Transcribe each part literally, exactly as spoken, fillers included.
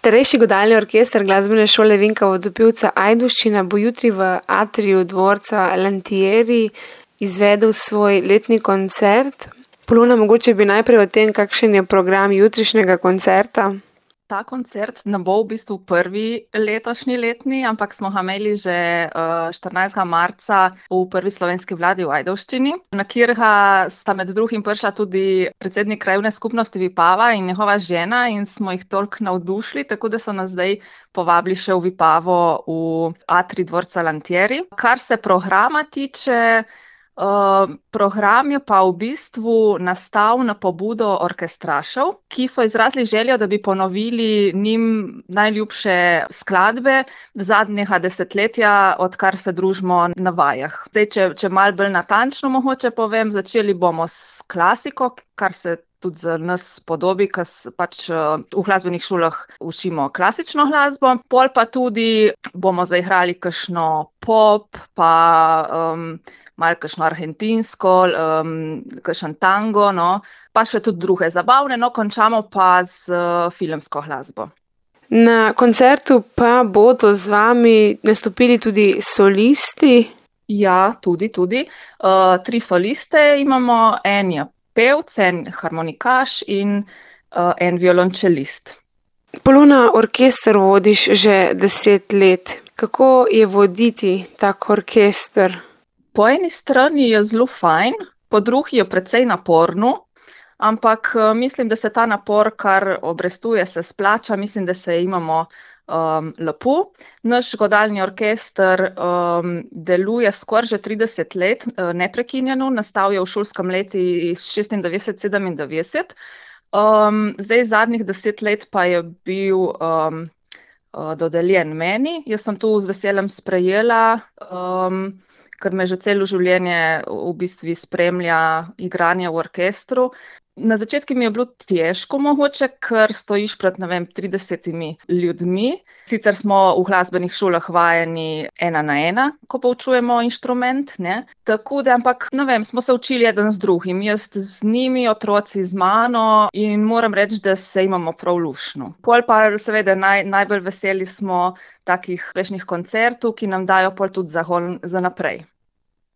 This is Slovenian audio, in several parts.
Starejši godalni orkester glasbene šole Vinka Vodopivca Ajdovščina bo jutri v atriju dvorca Lantieri izvedel svoj letni koncert. Polona, mogoče bi najprej o tem, kakšen je program jutrišnjega koncerta. Ta koncert ne bo v bistvu prvi letošnji letni, ampak smo ga imeli že štirinajstega marca v prvi slovenski vladi v Ajdovščini, na katerega sta med drugim prišla tudi predsednik krajevne skupnosti Vipava in njegova žena in smo jih toliko navdušili, tako da so nas zdaj povabili še v Vipavo v atrij dvorca Lantieri. Kar se programa tiče, Uh, program je pa v bistvu nastal na pobudo orkestrašev, ki so izrazili željo, da bi ponovili njim najljubše skladbe zadnjega desetletja, odkar se družimo na vajah. Zdaj, če, če malo bolj natančno mogoče povem, začeli bomo s klasiko, kar se tudi za nas podobi, ker pač v glasbenih šolah učimo klasično glasbo. Pol pa tudi bomo zaigrali kakšno pop, pa um, malo kakšno argentinsko, um, kakšen tango, no, pa še tudi druge zabavne, no, končamo pa z uh, filmsko glasbo. Na koncertu pa bodo z vami nastopili tudi solisti? Ja, tudi, tudi. Uh, tri soliste imamo, en je pevc, en harmonikaš in uh, en violončelist. Polona, orkester vodiš že deset let. Kako je voditi tak orkester? Po eni strani je zelo fajn, po drugi je precej naporno, ampak mislim, da se ta napor, kar obrestuje, se splača, mislim, da se imamo um, lepo. Naš godalni orkester um, deluje skoraj že trideset let uh, neprekinjeno, nastal je v šolskem letu šestindevetdeset sedemindevetdeset. Um, zdaj zadnjih deset let pa je bil um, uh, dodeljen meni. Jaz sem tu z veseljem sprejela, um, ker me že celo življenje v bistvu spremlja igranje v orkestru. Na začetku mi je bilo težko mogoče, ker stojiš pred, ne vem, tridesetimi ljudmi. Sicer smo v glasbenih šolah vajeni ena na ena, ko poučujemo inštrument, ne. Tako da, ampak, ne vem, smo se učili eden z drugim, jaz z njimi, otroci z mano in moram reči, da se imamo prav luštno. Pol pa seveda naj, najbolj veseli smo takih uspešnih koncertov, ki nam dajo pol tudi zagon za naprej.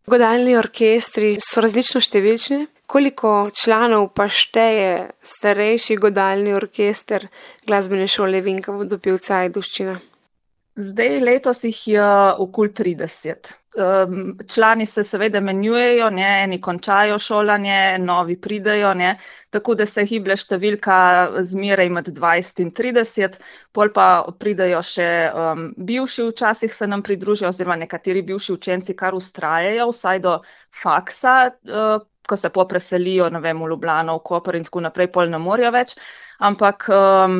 Godalni orkestri so različno številčni. Koliko članov pa šteje starejši godalni orkester glasbene šole Vinka Vodopivca Ajdovščina? Zdaj letos jih je okoli trideset. Člani se seveda menjujejo, ne, eni končajo šolanje, novi pridejo, ne, tako da se giblje številka zmeraj med dvajset in trideset, pol pa pridejo še um, bivši, včasih se nam pridružijo, oziroma nekateri bivši učenci kar vztrajajo, vsaj do faksa, uh, ko se popreselijo, ne vem, v Ljubljano, v Koper in tako naprej, pol ne morajo več, ampak um,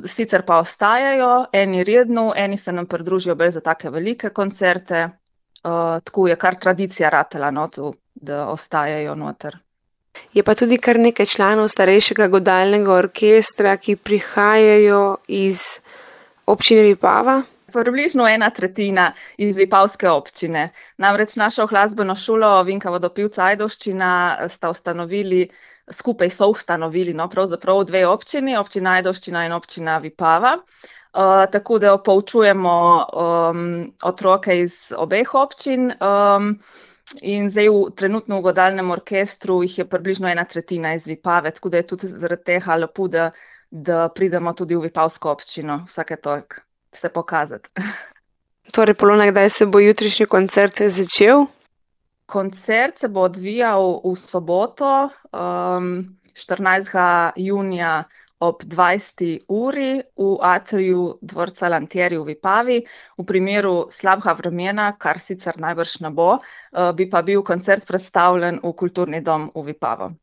sicer pa ostajajo, eni redno, eni se nam pridružijo bolj za take velike koncerte, uh, tako je kar tradicija ratela, no, tu, da ostajajo noter. Je pa tudi kar nekaj članov starejšega godalnega orkestra, ki prihajajo iz občine Vipava? Približno ena tretjina iz vipavske občine. Namreč našo glasbeno šolo Vinka Vodopivca Ajdovščina sta ustanovili, skupaj so ustanovili, no, pravzaprav dve občini, občina Ajdovščina in občina Vipava. Uh, tako da poučujemo um, otroke iz obeh občin um, in zdaj v, trenutno v godalnem orkestru jih je približno ena tretjina iz Vipave, tako da je tudi zaradi tega lepo, da, da pridemo tudi v vipavsko občino vsake toliko se pokazati. Torej, Polona, kdaj se bo jutrišnji koncert začel? Koncert se bo odvijal v soboto, um, štirinajstega junija ob dvajseti uri v atriju dvorca Lantieri v Vipavi. V primeru slabega vremena, kar sicer najbrž ne bo, uh, bi pa bil koncert predstavljen v Kulturni dom v Vipavo.